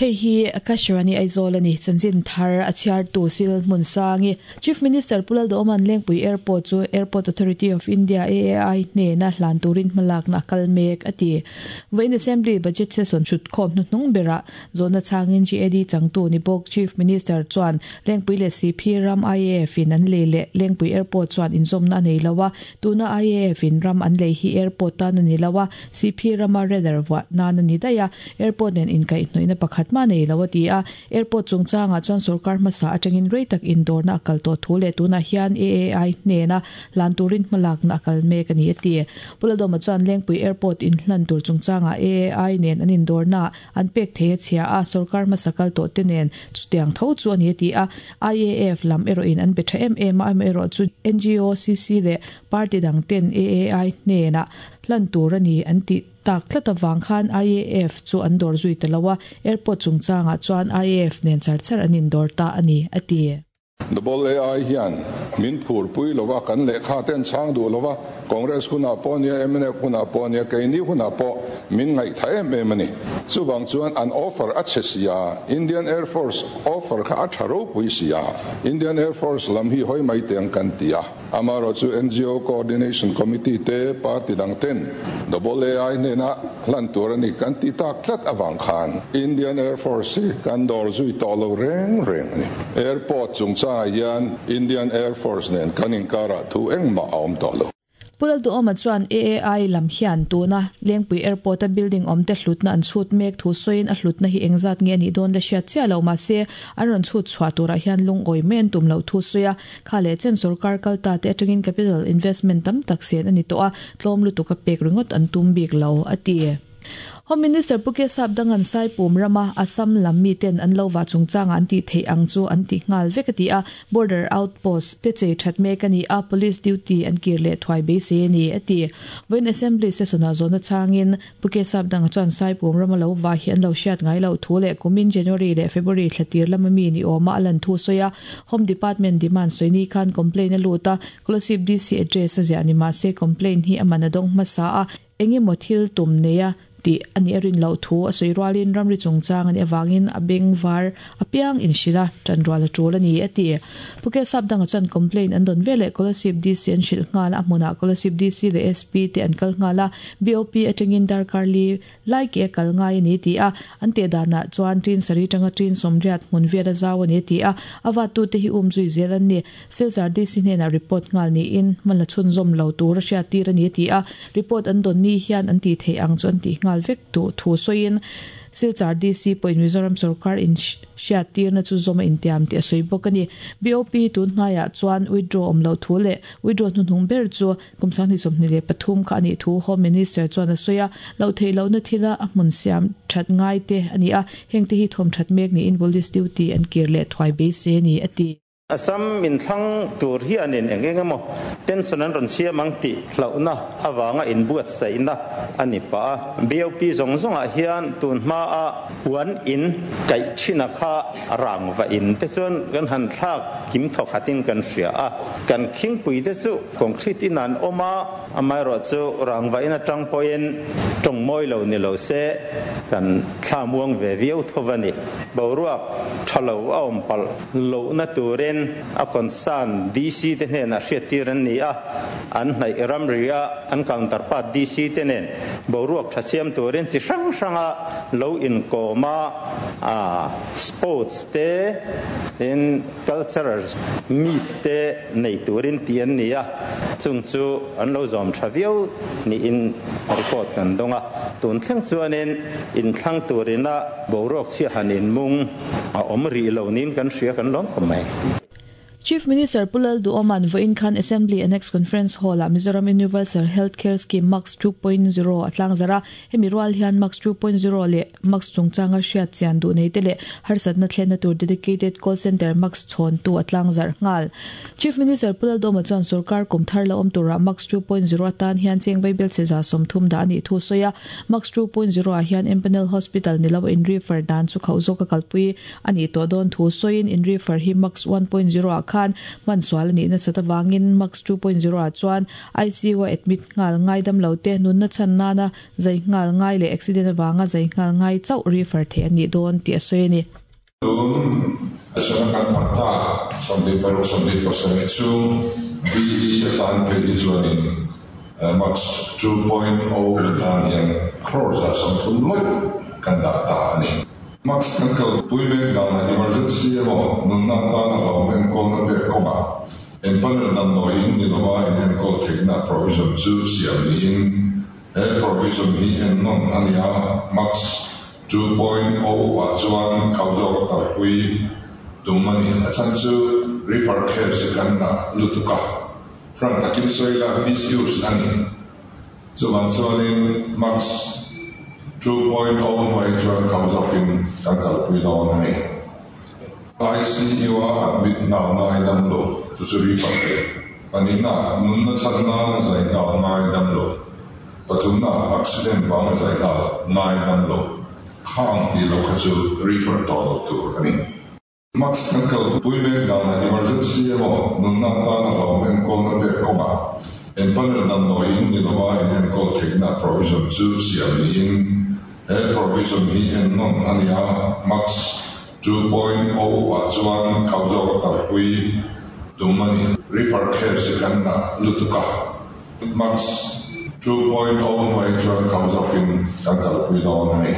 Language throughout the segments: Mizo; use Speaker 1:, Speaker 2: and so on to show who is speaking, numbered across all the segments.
Speaker 1: Hei hi Akashvani Aizawl a ni. Chanchin thar a chhiartu Sil Hmunsangi. Chief Minister Pu Lalduhawma'n Lengpui Airport chu Airport Authority of India, AAI, hnena hlan turin hmalakna a kal mek a ti. Vawiin Assembly Budget Session hrutkhawm hnuhnung berah zawhna chhangin GAD changtu ni bawk Chief Minister chuan Lengpui leh Siphi ram IAF in an lei leh Lengpui Airport chuan inzawmna a nei lo a, tuna IAF in ram an lei hi airport tan a ni lo a, Siphi rama radar vuah nan a ni daih a, airport nen inkaihhnawihna pakhat mah nei lo a ti a. Airport chungchangah chuan sorkar hmasa atangin rei tak indawrna a kal tawh thu leh tunah hian AAI hnena hlan turin hmalakna a kal mek a ni a ti. Pu Lalawma chuan Lengpui Airport inhlan tur chungchangah AAI nen an indawrnaah an pek thei a chhia a, sorkar hmasa kal tawh te nen chutiang tho chu a ni a ti a. IAF lam erawhin an be tha em em a, amaherawhchu ngo, CC leh party dang ten AAI hnenah hlan tur a ni an tih tak tlat avang khan IAF chu an dawr zui ta lo a, airport chungchangah chuan IAF nen char char an indawr ta a ni, a ti.
Speaker 2: The Ball AI hian min phurpui lova, kan lehkha te an chhang duh lova, Congress hunah pawh nia, mnf hunah pawh nia, keini hunah pawh min ngaihtha em em a ni. Chuvang chuan an offer a chhe si a, Indian Air Force offer kha a tha ropui si a, Indian Air Force lam hi hawi mai teng kan ti a. Amaherawhchu ngo Coordination Committee te party dang ten Double AI hnena hlan tur a ni kan ti tak tlat avang khan Indian Air Force hi kan dawr zui tawh lo reng reng a ni. Airport chungchangah hian Indian Air Force nen kan inkarah thu engmah a awm tawh lo.
Speaker 1: Pu Lalduhawma chuan AAI lam hian tuna Lengpui Airport-a building awmte hlutna an chhut mek thu sawiin a hlutna hi engzat nge a nih dawn la hriat chiah lo mahse an rawn chhut chhuah turah hian lungawi mai an tum loh thu sawi a. Kha leh chen sorkar kal ta te atangin capital investment tam tak sen a ni tawh a, tlawm lutuk a pek ringawt an tum bik lo, a ti. Home Minister Pu Kesap Dangan Saipum rama Assam lam miten an lo vah chungchangah an tih theih ang chu an ti nghal vek a ti a, border outpost te chei that mek a ni a, police duty an kir leh thuai beisei a ni, a ti. Vawiin Assembly session-ah zawhna changin Pu Kesap Danga chuan Saipum rama lo vah hi an lo hriat ngai loh thu leh kumin January leh February thla tir lama mi ni awma a lan thu sawi a, Home Department demand sawi ni khan complaint a lut a, Kolasib DC address a ziah ni mahse complaint hi a man a dawng hmasa a, eng emaw thil tum nei a tih a nih a rin loh thu a sawi rualin ramri chungchang a nih avangin a beng var apiang inhrilh a, ṭanrual a ṭul a ni, a ti. Pu Kesap Danga chuan complaint an dawn veleh Kolasib DC an hrilh nghal a, a hmunah Kolasib DC leh SP te an kal nghal a, BOP atangin darkar li lai ke a kal ngai a ni ti a, an teh danah chuan ṭin sarih atanga ṭin sawmriat hmun viat a zau a ni a ti a, a vattute hi um zui zel an ni. Silchar DC hnenah report nghal niin hman la chhunzawm lo tur a hriattir a ni a ti a, report an dawn ni hian an tih theih ang chu an tih nghal vek duh thu sawiin Silchar DC pawhin Mizoram sorkar in hriattirna chu zawm a intiam tih a sawi bawk a ni. BOP tun hnaiah chuan withdraw awm loh thu leh withdraw hnuhnung ber chu Kum 2023 kha a nih thu Home Minister chuan a sawi a, loh theih lohna thila a hmun siam that ngai te a ni a, hengte hi thawm that mek niin police duty an kir leh thuai beisei a ni, a ti.
Speaker 3: Assam inthlang tur hianin eng eng emaw tension an rawn siam ang tih hlauhna avanga inbuatsaihna a ni pah a. BOP zawng zawngah hian tun hmaa puan in kaih thina kha rangva in te chuan kan han thlak kim thawkhatin kan hria a, kan khingpui te chu Concrete in an awm a, amaherawhchu rangva in atang pawhin tawng mawi lo ni lo se kan thla muang ve viau tho a ni. Boruak tha lo a awm palh lohna turin a concern DC te hnenah hriattir an ni a, an hnaih ramri a an counterpart DC te nen boruak tha siam turin chi hrang hranga lo inkawm a, sports te in Cultural meet te nei turin tih an ni a, chung chu an lo zawm tha viau niin report kan dawng a. Tun thleng chuanin inthlang turina boruak chhia han inmung a awm rih lo niin kan hria kan lawm khawp mai.
Speaker 1: Chief Minister Pu Lalduhawma'n vawiin khan Assembly Annex Conference Hall-ah Mizoram Universal Health Care Scheme MACS 2.0 a tlangzarh a, hemi rual hian MACS 2.0 leh MACS chungchanga hriat chian duh nei te leh harsatna thlenna tur dedicated call centre MACS chhawntu a tlangzarh nghal. Chief Minister Pu Lalduhoma chuan sorkar kum thar la awm turah MACS 2.0 atan hian cheng vaibel chhe 30% dah a nih thu sawi a. MACS 2.0 ah hian Empanel Hospital ni lo in refer dan chu khauh zawk a kalpui a nih tawh dawn thu sawiin in refer hi MACS 1.0 ah khan khan hman sual a nih nasat avangin MACS 2.0 ah chuan ICU a admit nghal ngai damlo te nunna chhan nana zai nghal ngai leh accident avanga zai nghal ngai chauh refer theih an nih dawn tih a sawi a ni.
Speaker 2: Tun sena kan phat ta 26 27 chhung BE atan phei hi chuanin MACS 2.0 atan hian crore 130 lawih kan dah ta a ni. MACS kan kalpui mek danah emergency emaw nunna atana hlauhawm enkawlna pek kawngah empanel damdawiin ni lova inenkawl theihna provision chu siam niin he provision hi ennawn a ni a, MACS 2.0 ah chuan khau zawk a kalpui tum a ni. A chhan chu refer case hi kan na lutuk a, frank takin sawi ila misuse a ni. Chuvang chuanin MACS 2.0 hnuai chuan khau zawkin kan kalpui dawn a ni. ICU a admit nghal ngai damlo chu chu refer theih. Pahnihna, nunna chhan nana zai nghal ngai damlo. Pathumna, accident vanga zai nghal ngai damlo. Khang tih loh kha chu refer tawh loh tur a ni. MACS kan kalpui mek danah emergency emaw nunna atana hlauhawm enkawlna pek kawngah empanel damdawiin ni lova inenkawl theihna provision chu siam niin he provision hi ennawn a ni a, MACS 2.0 ah chuan khau zawk a kalpui tum a ni. Refer case hi kan na lutuk a, MACS 2.0 hnuai chuan khau zawkin kan kalpui dawn a ni.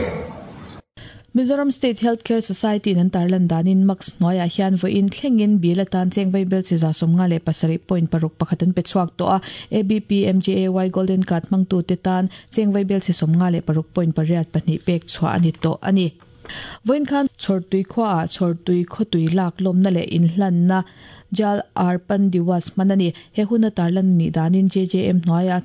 Speaker 1: Mizoram State Health Care Society in an tarlan danin MACS hnuaiah hian vawiin thlengin bill atan cheng vaibel chi 57 point paruk pakhat an pe chhuak tawh a, ABP MJAY Golden Card hmangtute tan cheng vaibel chi 56 point pariat pahnih pek chhuah a ni tawh a ni. Vawiin khan Chhawrtui khuaah Chhawrtui khawtui lak lawmna leh inhlanna Jal Arpan Diwas hman a ni. He huna tarlan a nih danin JJM hnuaiah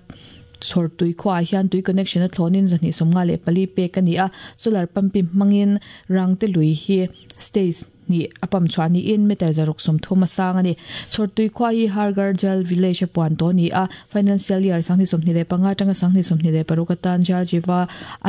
Speaker 1: Chhawrtui khuaah hian tui connection a thlawnin 254 pek a ni a, solar pumping hmangin Rangte lui hi stage hnih a pump chhuah niin meter 630 a sang a ni. Chhawrtui khua hi Harghar Jal Village a puan tawh a ni a, Financial Year 2025 atanga 2026 atan Jal Jiva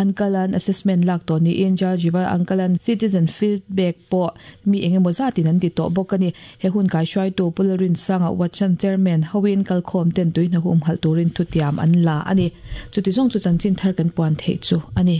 Speaker 1: Ankalan Assessment lak tawh niin Jal Jiva Ankalan Citizen Feedback pawh mi eng emaw zatin an ti tawh bawk a ni. He hun kaihruaitu Pu Lalrinsanga Watchan Chairman hoin kalkhawm ten tui hna humhalh turin thutiam an la a ni. Chuti zawng chu chanchin thar kan puan theih chu a ni.